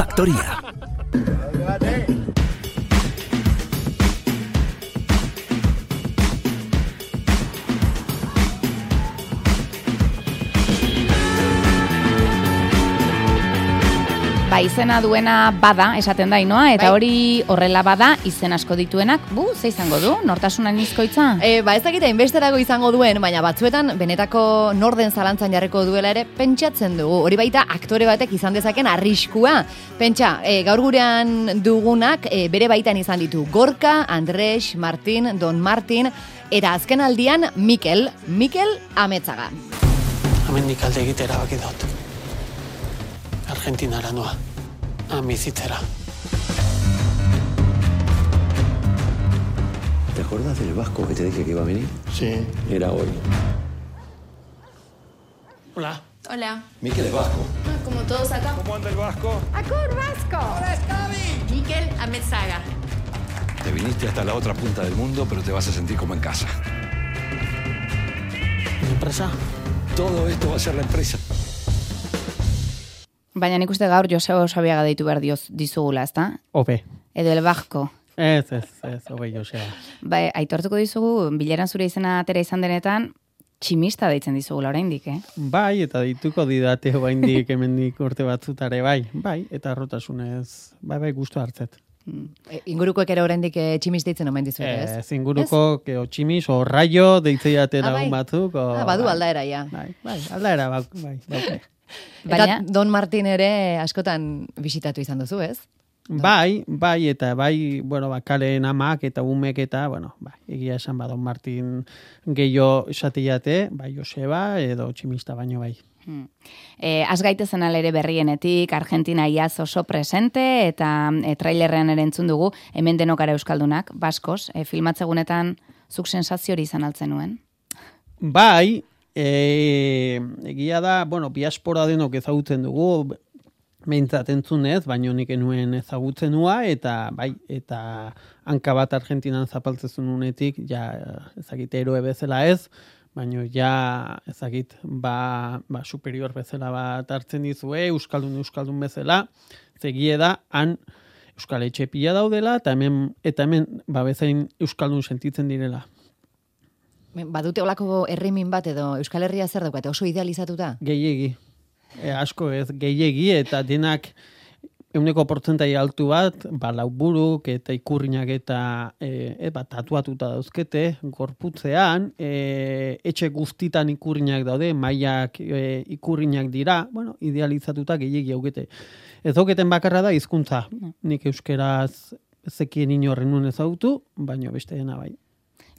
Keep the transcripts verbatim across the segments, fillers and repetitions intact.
Faktoria. Ba, izena duena bada, esaten da Inoa, eta hori horrela bada, izen asko dituenak, bu, ze izango du, nortasunan izkoitza? E, ba, ez dakita, inbesterago izango duen, baina batzuetan, benetako norden zalantzan jarriko duela ere, pentsatzen dugu. Hori baita, aktore batek izan dezaken arriskua. Pentsa, e, gaur gurean dugunak, e, bere baitan izan ditu Gorka, Andres, Martin, Don Martin, eta azken aldian, Mikel, Mikel Ametzaga. Hemendik alde egitera baki dut. Argentinara noa, amizitzera. ¿Te acuerdas del vasco que te dije que iba a venir? Sí. Era hoy. Hola. Hola. Mikel es vasco. Ah, como todos acá. ¿Cómo anda el vasco? ¡Acur vasco! ¡Hola, Scavi! Mikel Ametzaga. Te viniste hasta la otra punta del mundo, pero te vas a sentir como en casa. ¿Mi empresa? Todo esto va a ser la empresa. Baina nik uste gaur Joseba Osabiaga deitu behar dioz dizugula, ezta? Obe. Edo el Basko. Ez, ez, ez, obe Joseba. Bai, aitortuko dizugu, bileran zure izena atera izan denetan, tximista deitzen dizugula oraindik, eh? Bai, eta dituko didate oraindik hemendik urte batzutare, bai, bai, eta arrotasunez, bai, bai, gustu hartzet. E, ingurukoek ere oraindik e, tximis deitzen omen dizuet, ez? Ez, inguruko, o tximis, o raio, deitzeiate Ah, lagun bai. batzuk. O, Ah, badu bai, aldaera, ja. Bai, bai, aldaera, bai, bai, bai. Eta Baina- Don Martin ere askotan bisitatu izan duzu, ez? Bai, bai, eta bai, bueno, bakaleen amak eta umek eta, bueno, bai, egia esan ba, Don Martin gehiago esateiate, bai, Joseba edo tximista baino bai. Hmm. E, az gaitezen alere berrienetik, Argentina iaz oso presente, eta e, trailerrean ere entzun dugu, hemen denokara euskaldunak, baskos, e, filmatzegunetan zuk sensazio hori izan altzen nuen? Bai, e, egia da, bueno, diaspora denok ezagutzen dugu, behintzat entzunez, baino nik enuen ezagutzen nua, eta bai, eta hanka bat Argentinan zapaltzezun unetik, ja, ezagite eroe bezala ez, baino ja, ezagit, ba, ba superior bezala bat hartzen dizue, euskaldun euskaldun bezala, zegie da, han euskal etxe pila daudela, eta hemen, eta hemen, ba, bezain euskaldun sentitzen direla. Badute olako herrimin bat edo Euskal Herria zer daukate, oso idealizatuta? Gehiegi. E, asko ez, gehiegi, eta denak euneko portzentai altu bat, ba, lauburuk eta ikurrinak eta e, e, ba, tatuatuta dauzkete, gorputzean, e, etxe guztitan ikurrinak daude, mailak e, ikurrinak dira, bueno, idealizatuta gehiegi haukete. Ez dauketen bakarra da hizkuntza. Nik euskeraz zekien inorren nuen ezagutu, baino beste dena bai.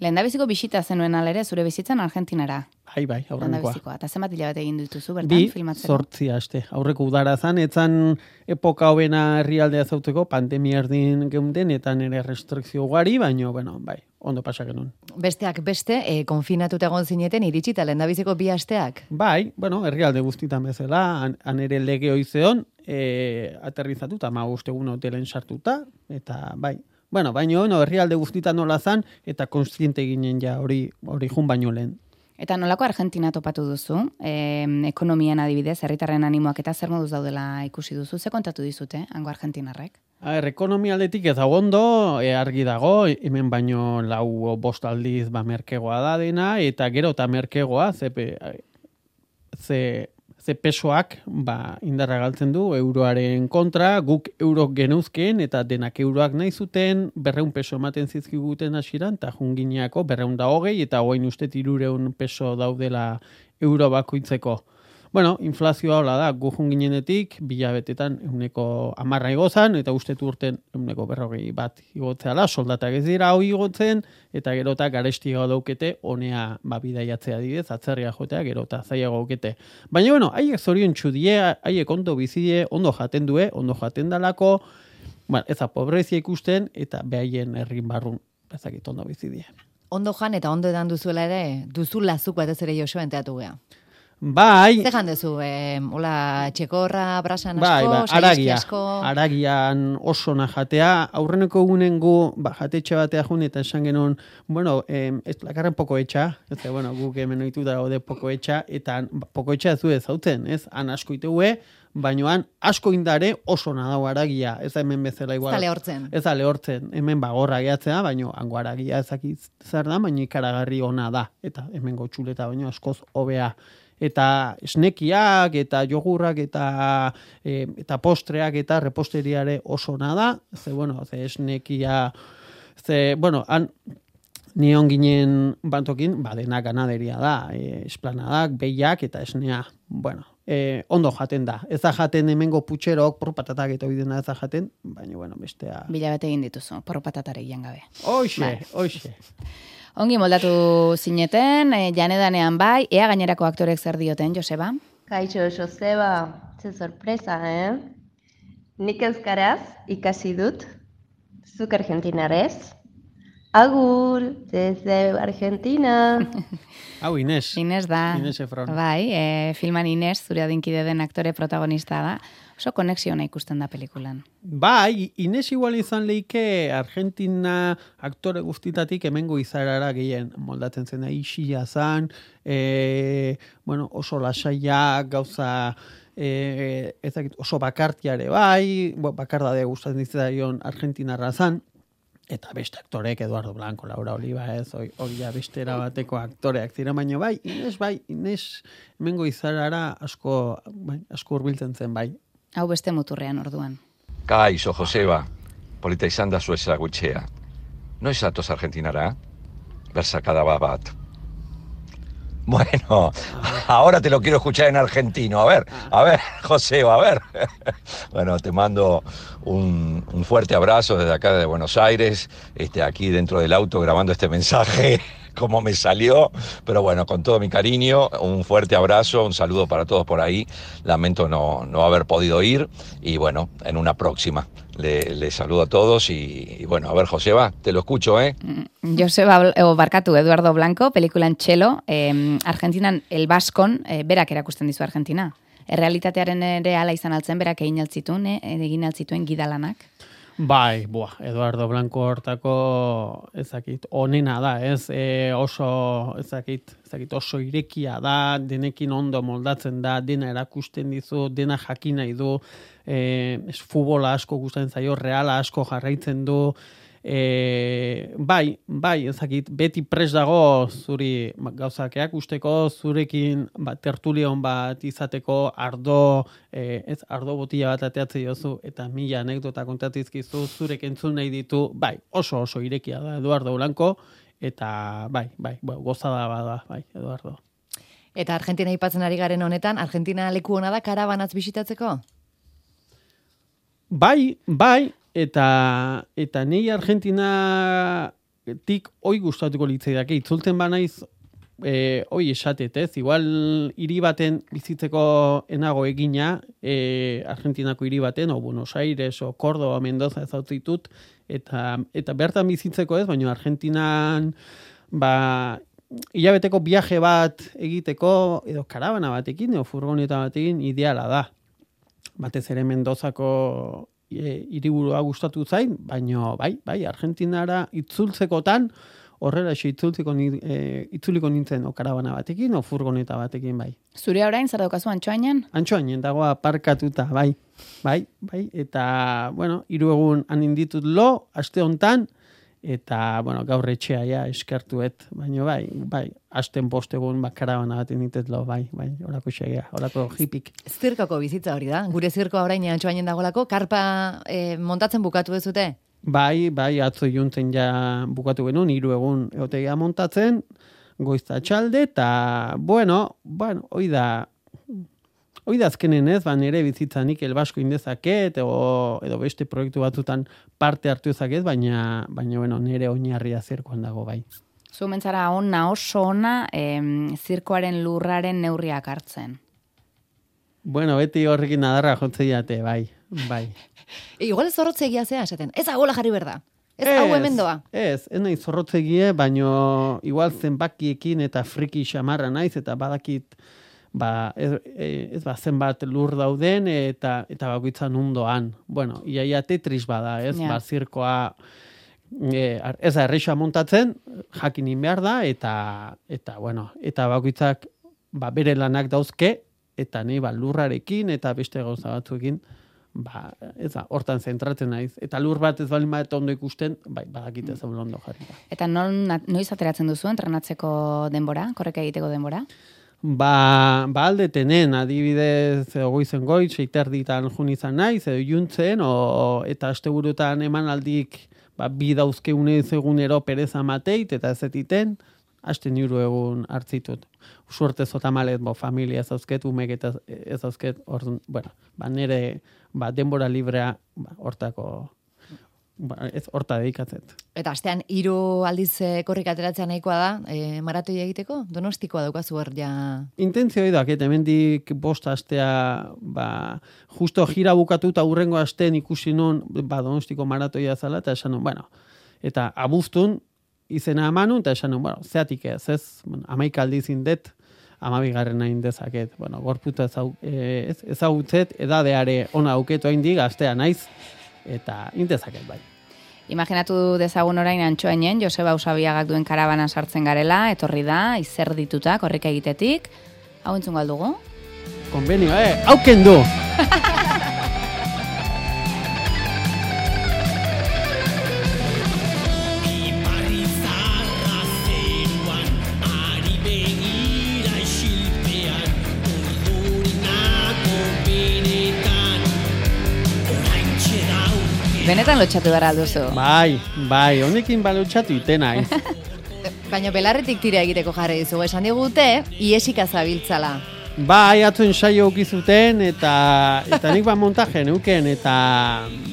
Lehendabiziko bisita zenuen alere, zure bizitzan Argentinara. Bai, bai, aurrenekoa. Lehendabizikoa. Eta zenbat hilabete egin dituzu bertan Bi, filmatzeko? zortzi aste. Aurreko udara zan, etzan epoka hobena herrialdea zauteko, pandemia erdin geunden, eta nire restrikzio ugari, baino, bueno, bai, ondo pasak genuen. Besteak beste, e, konfinatuta egon zineten iritsita lehendabiziko bi asteak? Bai, bueno, herrialde guztitan bezala, han, han ere lege hoizeon, e, aterrizatuta, ma ustegun hotelen sartuta, eta bai, bueno, baino, no, herrialde guztitan nola zan, eta konstiente ginen ja hori hori jun baino lehen. Eta nolako Argentina topatu duzu? E, ekonomian adibidez, herritarren animoak eta zer moduz daudela ikusi duzu? Ze kontatu dizute, hango argentinarrek? A ber, ekonomia aldetik ez dago ondo, e, argi dago, hemen baino lau bost aldiz ba merkegoa da dena, eta gero eta merkegoa, ze, ze, ze pesoak ba, indarra galtzen du euroaren kontra, guk eurok geneuzken, eta denak euroak nahi zuten, berreun peso ematen zizkiguten hasieran, eta jungineako berreun da hogei, eta hogein uste tirureun peso daudela euro bakoitzeko. Bueno, inflazioa hola da, gu junginenetik, bilabetetan euneko amarra igozan, eta uste urten euneko berrogei bat igotzeala, soldatak ez dira hoi igotzen, eta gerota garestiago daukete, honea ba, bidaiatzea didez, atzerria jotea, gerota zaiago daukete. Baina, bueno, haiek zorion txudie, haiek ondo bizidie, ondo jaten due, ondo jaten dalako, bueno, eza pobrezia ikusten, eta behaien herrin barrun, ezakit ondo bizidie. Ondo jan eta ondo edan duzuela ere, duzu lazuk batez ere Joseba enteatu gea. Bai. Zer jandezu, eh, hola, txekorra, brasan asko, bai, bai, saiski aragia, asko. aragian oso jatea, aurreneko egunen gu, ba, jatetxe batea jun, eta esan genuen, bueno, eh, ez lakarren poko etxa, ez bueno, guk hemen oitu da gaude poko etxa, eta poko etxa ez du ez hautzen, ez, han asko iteue, baino han asko indare oso nadau aragia, ez da hemen bezala igual. Ez da lehortzen. Ez da lehortzen, hemen bagorra gehatzea, baino hango aragia ezakit zer da, baina ikaragarri ona da, eta hemen gotxuleta baino askoz hobea. Eta esnekiak, eta jogurrak, eta, e, eta postreak, eta reposteriare oso nada, ze, bueno, ze esnekia, ze, bueno, han, nion ginen bantokin, ba, dena ganaderia da, e, esplanadak, behiak, eta esnea, bueno, e, ondo jaten da. Ez da jaten hemengo putxerok, por patatak eta oidena ez da jaten, baina, bueno, bestea... Bilabete egin dituzu, por patatare gian gabe. Hoxe, Bai. hoxe. Ongi moldatu zineten, e, janedanean bai, ea gainerako aktorek zer dioten, Joseba? Kaixo, Joseba, ze sorpresa, eh? Nik euskaraz ikasi dut, zuk argentinarez. Agur, desde Argentina. Hau, Inés. Inés da. Inés Efron. Bai, e, filman Inés, zure adinkide den aktore protagonista da. Oso konexiona ikusten da pelikulan. Bai, Inés igual izan leike Argentina aktore guztitatik hemengo izarara gehien moldatzen zen, isia zan, e, bueno, oso lasaiak, gauza, e, ezakit, oso bakartiare bai, bo, bakardade gustatzen ditzaion Argentinarra zan, eta beste aktorek, Eduardo Blanco, Laura Oliva, ez, hori ja bestera bateko aktoreak zira, baina bai, Inés bai, Inés hemengo izarara asko, bai, asko hurbiltzen zen bai. Hau beste muturrean orduan. Kaixo, Joseba, polita izan da zu ezagutxea. Noiz atoz Argentinara? Bersakada bat. Bueno, ahora te lo quiero escuchar en argentino. A ver, a ver, Joseba, a ver. Bueno, te mando un, un fuerte abrazo desde acá de Buenos Aires, este, aquí dentro del auto grabando este mensaje. Como me salió, pero bueno, con todo mi cariño, un fuerte abrazo, un saludo para todos por ahí. Lamento no, no haber podido ir y bueno, en una próxima. Le, le saludo a todos y, y bueno, a ver, Joseba, te lo escucho, ¿eh? Joseba, o barkatu, Eduardo Blanco, pelikulan Txelo, eh, Argentinan El Baskon, eh, berak erakusten dizu Argentina. Errealitatearen ere ala izan altzen, berak egin altzituen, eh, egin altzituen gidalanak. Bai, buah, Eduardo Blanco hortako ezakit onena da, ez? E, oso ezakit, ezakit oso irekia da, denekin ondo moldatzen da, dena erakusten dizu, dena jakin nahi du, e, ez futbola asko gustatzen zaio, reala asko jarraitzen du, e, bai, bai, ezakit, beti pres dago zuri gauzakeak usteko, zurekin ba, tertulion bat izateko, ardo, e, ez, ardo botila bat ateatzen jozu, eta mila anekdota kontatizkizu, zurek entzun nahi ditu, bai, oso oso irekia da Eduardo Blanco, eta bai, bai, bai gozada bada, bai, Eduardo. Eta Argentina aipatzen ari garen honetan, Argentina leku hona da karabanaz bisitatzeko? Bai, bai, eta eta nei Argentinatik oi gustatuko litzaidake itzultzen banaiz eh oi esatet, ez? Igual hiri baten bizitzeko enago egina, eh Argentinako hiri baten, o Buenos Aires o Córdoba, Mendoza ez ditut, eta eta bertan bizitzeko ez, baina Argentinan ba hilabeteko viaje bat egiteko edo karabana batekin edo furgoneta batekin ideala da. Batez ere Mendozako e, hiriburua gustatu zain, baina bai, bai, Argentinara itzultzekotan, horrela xe itzultzeko e, itzuliko nintzen o karabana batekin o furgoneta batekin, bai. Zure orain zer daukazu Antxoainen? Antxoainen dago aparkatuta, bai. Bai, bai, eta bueno, hiru egun han inditut lo, aste hontan, eta bueno, gaur etxea ja eskertuet, baina bai, bai, asten bost egun bakarabana bat inditet lo, bai, bai, horako xegea, horako hipik. Zirkoko bizitza hori da, gure zirkoa orain Antxoainen dagolako, karpa eh, montatzen bukatu dezute? Bai, bai, atzo juntzen ja bukatu genuen, hiru egun egotegia montatzen, goizta txalde, eta bueno, bueno, hoi da, hoi da azkenen ez, ba, nire bizitzanik El Basko indezaket, edo, edo beste proiektu batzutan parte hartu ezaket, baina, baina bueno, nire oinarria zirkoan dago, bai. Zu mentzara ona, oso ona, em, zirkoaren lurraren neurriak hartzen. Bueno, beti horrekin adarra jotzen jate, bai, bai. E, igual ez zorrotzegia zea, esaten, ez agola jarri berda, ez hau hemen doa. Ez, ez nahi zorrotzegie, baino igual zenbakiekin eta friki xamarra naiz, eta badakit, ba, ez, ez ba, zenbat lur dauden, eta eta bakoitzan undoan. Bueno, iaia tetris bada, ez, Ja. ba, zirkoa, e, ez da, erreixa montatzen, jakinin behar da, eta, eta bueno, eta bakoitzak, ba, bere lanak dauzke, eta ni ba, lurrarekin eta beste gauza batzuekin, ba, ez da, hortan zentratzen naiz. Eta lur bat ez balin bat ondo ikusten, bai, badakite zaun ondo jarri da. Eta non, noiz ateratzen duzu entrenatzeko denbora, korreka egiteko denbora? Ba, ba aldetenen, adibidez, goizen goiz, seiterditan jun izan naiz, edo juntzen, o, eta asteburutan emanaldik ba, bi dauzkeunez egunero pereza mateit, eta ez etiten, hasten hiru egun hartzitut. Suerte zotamalet, bo, familia ez dauzket, umek eta ez dauzket, orduan, bueno, ba, nire ba, denbora librea ba, hortako, ba, ez horta dedikatzet. Eta astean hiru aldiz e, korrika ateratzea nahikoa da, e, maratoi egiteko? Donostikoa daukazu hor ja... Intentzio edak, eta hemendik bost astea, ba, justo jira bukatuta hurrengo asteen ikusi nun, ba, Donostiko maratoia zala, eta esan nun, bueno, eta abuztun, izena emanun, eta esan nun, bueno, zeatik ez, ez, bueno, amaik aldiz indet, amabigarren nahi dezaket, bueno, gorputa ezau, ez, ezagutzet, edadeare ona auketu hain dig, astea naiz, eta indezaket bai. Imaginatu dezagun orain Antxoainen, Joseba Usabiagak duen karabana sartzen garela, etorri da, izer dituta, korrika egitetik. Hau entzun galdugu? Konbenio, eh, hauken du! Benetan lotxatu behar alduzu. Bai, bai, honekin ba lotxatu itena, eh? Baina belarretik tira egiteko jarri dizugu, esan digute, iesika zabiltzala. Bai, atzo ensaio ukizuten, eta, eta nik ba montaje neuken, eta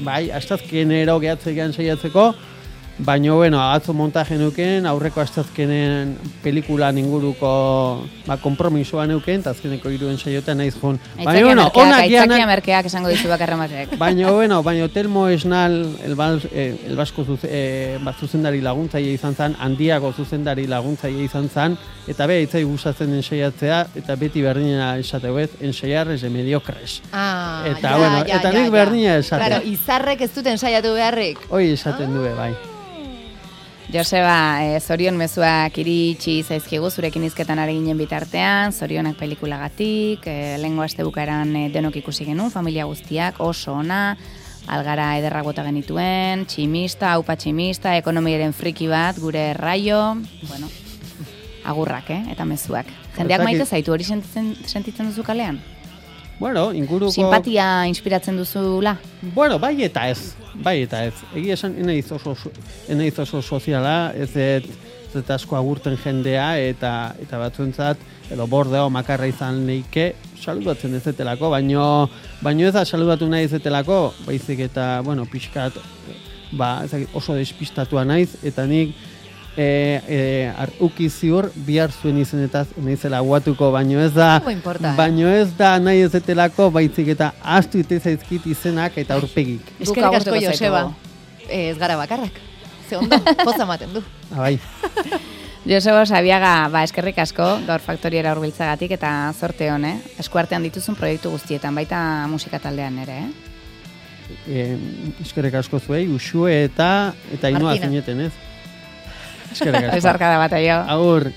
bai, astazkenero gehatzean saiatzeko, baina, bueno, atzo montaje neuken, aurreko astazkenen pelikulan inguruko ba, kompromisoa neuken, eta azkeneko iruen saiotan naiz joan. Aitzakia bueno, merkeak, aitzakia merkeak esango dizu bakarrematek. Baina, bueno, baina Telmo Esnal, el, bal, eh, el basko zuze, eh, bat zuzendari laguntzaile izan zan, handiago zuzendari laguntzaile izan zan, eta be, itzai gustatzen ensaiatzea, eta beti berdinena esateu ez, ensaiar ez de mediocres. Ah, eta, ja, bueno, ja, eta ja, nik ja. berdina esatea. Claro, izarrek ez duten ensaiatu beharrik. Hoi esaten ah. due, bai. Joseba, eh, zorion mezuak iritsi zaizkigu zurekin izketan ari ginen bitartean, zorionak pelikulagatik, eh, lehengo aste bukaeran eh, denok ikusi genuen, familia guztiak, oso ona, algara ederrak bota genituen, tximista, aupa tximista, ekonomiaren friki bat, gure raio, bueno, agurrak, eh, eta mezuak. Jendeak maite zaitu hori sentitzen, sentitzen duzu kalean? Bueno, inguruko... Simpatia inspiratzen duzula? Bueno, bai eta ez. Bai eta ez. Egia esan, enaiz oso, enaiz oso soziala, ez ez, ez asko agurten jendea, eta eta batzuentzat, edo bordeo makarra izan neike, saludatzen ez etelako, baino, baino ez da saludatu nahi ez etelako, baizik eta, bueno, pixkat, ba, ez oso despistatua naiz, eta nik, E, e, uki ziur bihar zuen izenetaz naizela guatuko, baino ez da baino ez da nahi ez etelako, baitzik eta astu ite zaizkit izenak eta aurpegik. Eskerrik asko Joseba, ez gara bakarrak, ze ondo, poza ematen du. Bai. Joseba Usabiaga, ba, eskerrik asko gaur faktoriera hurbiltzagatik eta zorte hon, eh? Eskuartean dituzun proiektu guztietan, baita musika taldean ere, eh? E, eskerrik asko zuei, Uxue eta eta Inoa zineten, ez? Eskerrik asko. Ez arkada bat, aio. Agur.